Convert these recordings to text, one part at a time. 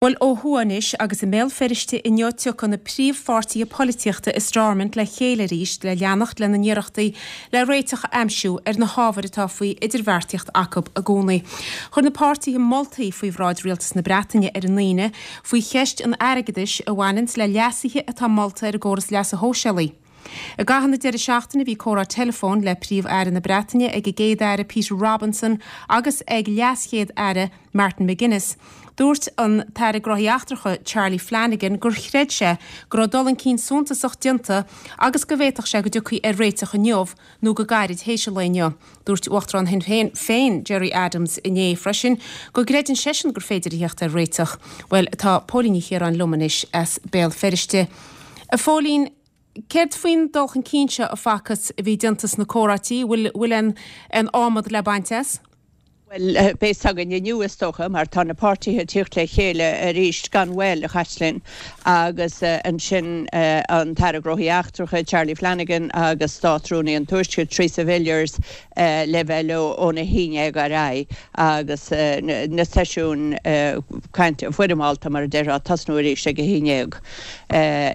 Bhuel, ó thuaidh anois, agus i mBéal Feirste inniu tiocfaidh na príomhpháirtithe polaitíochta i Stormont le chéile arís le leanacht lena n-iarrachtaí le réiteach a aimsiú ar na hábhair atá faoi idirbheartaíocht acu i gcónaí. Chuir na páirtithe moltaí faoi bhráid Rialtas na Breataine ar an Aoine faoi cheist an airgeadais a bhaineanns le leasuithe atá molta ar an gcóras leasa shóisialaigh. I gcaitheamh na deireadh seachtaine bhí comhrá teileafóin le Príomh-Aire na Breataine ag an gCéad-Aire Peter Robinson agus ag LeasChéad-Aire Martin McGuinness. Dúirt an tAire Gnóthaí Eachtracha Charlie Flanagan gur chreid sé go raibh dul chun cinn suntasach déanta agus go bhféadfadh sé go dtiocfaí ar réiteach inniu nó go gairid théis an lae inniu. Dúirt Uachtarán Shinn Féin Gerry Adams inné freisin go gcreideann seisean gur féidir a theacht ar réiteach. Bhuel, tá Póilín Ní Chiaráin liom anois as Béal Feirste. A Phóilín, Céard faoin dul chun cinn seo a facthas a bhí déanta sna comhráití, bhfuil bhfuil aon aon adhmad le baint as? Bhuel, beidh fhios againn inniu is dócha, mar tá na páirtithe ag tíocht le chéile arís gan mhoill, a Chaitlín, agus ansin an tAire Gnóthaí Eachtracha, Charlie Flanagan agus Státrúnaí an Tuaiscirt, Theresa Villiers, le bheith leo óna haon dhéag ar aghaidh agus na seisiúin cainte foirmeálta, mar a déarfá, ag tosnú arís ag a haon dhéag.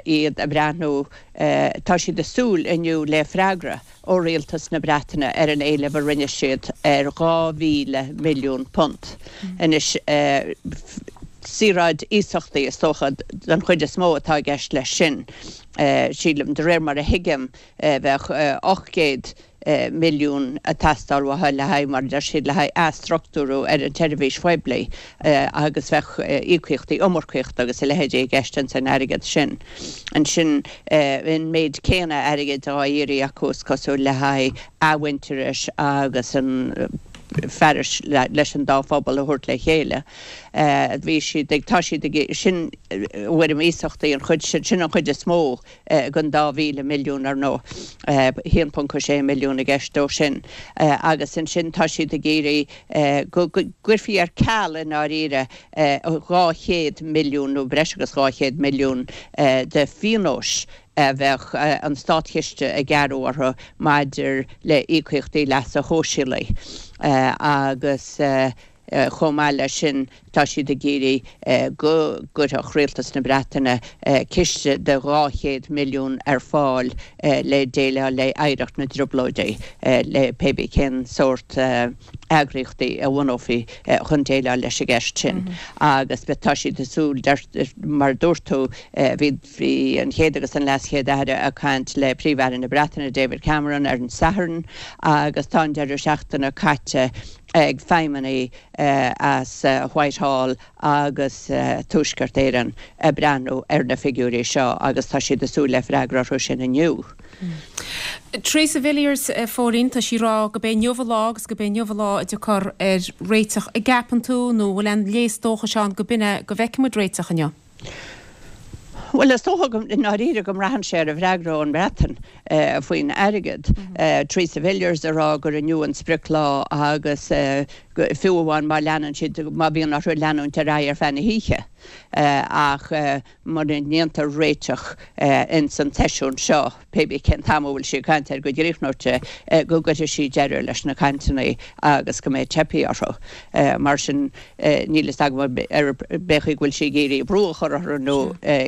Iad ag breathnú, tá siad ag súil inniu le freagra ó Rialtas na Breataine ar an éileamh a rinne siad ar £2,000 milliún. Anois, saoráid iasachtaí is dócha den chuid is mó atá i gceist leis sin. Sílim, de réir mar a thuigim, bheadh 800 milliún ag teastáil uathu le haghaidh, mar a deir siad, le haghaidh athstruchtúrú ar an tseirbhís phoiblí agus bheadh íocaíochtaí iomarcaíochta agus a leithéidí i gceist ins an airgead sin. Ansin an méid céanna airgid á iarraidh acu is cosúil le haghaidh athmhuintearais agus an fearas leis an dá phobal a thabhairt le chéile. Bhí siad ag, tá siad ag, sin i bhfoirm iasachtaí an chuid sin, sin an chuid is mó den 2,000 milliún, ar ndóigh, 1.6 milliún i gceist dó sin. Agus ansin tá siad ag iarraidh go gcuirfí ar ceal i ndáiríre 200 milliún nó breis agus 200 milliún de phionóis a bheadh an státchiste ag gearradh orthu maidir le íocaíochtaí leasa shóisialaigh agus Chomh maith leis sin, tá siad ag iarraidh go gcuirfeadh Rialtas na Breataine ciste de 200 milliún ar fáil le déileáil le hoidhreacht na dTrioblóidí, le pé bí cén sórt eagraíochtaí a bhunófaí chun déileáil leis an gceist sin. Agus tá siad ag súil, mar a dúirt tú, bhí bhí an Chéad agus an LeasChéad-Aire ag caint le Príomh-Aire na Breataine, David Cameron, ar an Satharn agus tá an deireadh seachtaine caite ag feidhmeannaigh as Whitehall agus Tuaisceart Éireann ag breathnú ar na figiúirí seo agus tá siad ag súil le freagra orthu sin inniu. Theresa Villiers, a Phóilín, tá sí ag rá go b'é inniu an lá agus go b'é inniu an lá a dtiocfar ar réiteach. An gceapann tú nó bhfuil aon léas dóchais ann go b'in é go bhfeicfidh muid réiteach inniu? Bhuel, is dócha go, i ndáiríre, go mbraitheann sé ar an bhfreagra ón mBreatain faoin airgead. Theresa Villiers ag rá gur inniu an sprioclá agus fiú amháin má leanann siad, má bhíonn orthu leanúint ar aghaidh ar feadh na hoíche ach mura ndéantar réiteach ins an tseisiún seo, pé bí cén t-am a bhfuil sí ag caint air go gcríochnóidh sé, go gcuirfidh sí deireadh leis na cainteanna agus go mbeidh teipthe orthu. Mar sin, níl fhios agam ar pé chaoi go bhfuil sí ag iarraidh brú a chur orthu nó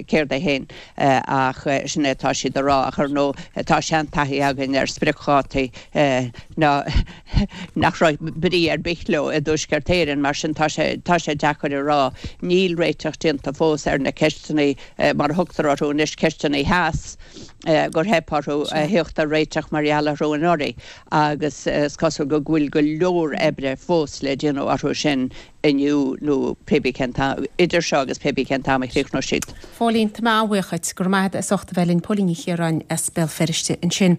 céard é féin ach sin é atá siad a rá. Ach ar ndóigh, tá seantaithí againn ar spriocdhátaí ná nach raibh brí ar bith leo i dTuaisceart Éireann, mar sin tá sé tá sé deacair a rá. Níl réiteach déanta fós ar na ceisteanna, mar a thugtar orthu anois, ceisteanna theas. gur theip orthu a theacht ar réiteach mar gheall orthu anuraidh agus is cosúil go bhfuil go leor oibre fós le déanamh orthu sin inniu nó pé bí cén t-am, idir seo agus pé bí cén t-am a chríochnóidh siad. Phóilín, tá mé an-bhuíoch dhuit. Go raibh maith agat as ucht a bheith linn. Póilín Ní Chiaráin as Béal Feirste ansin.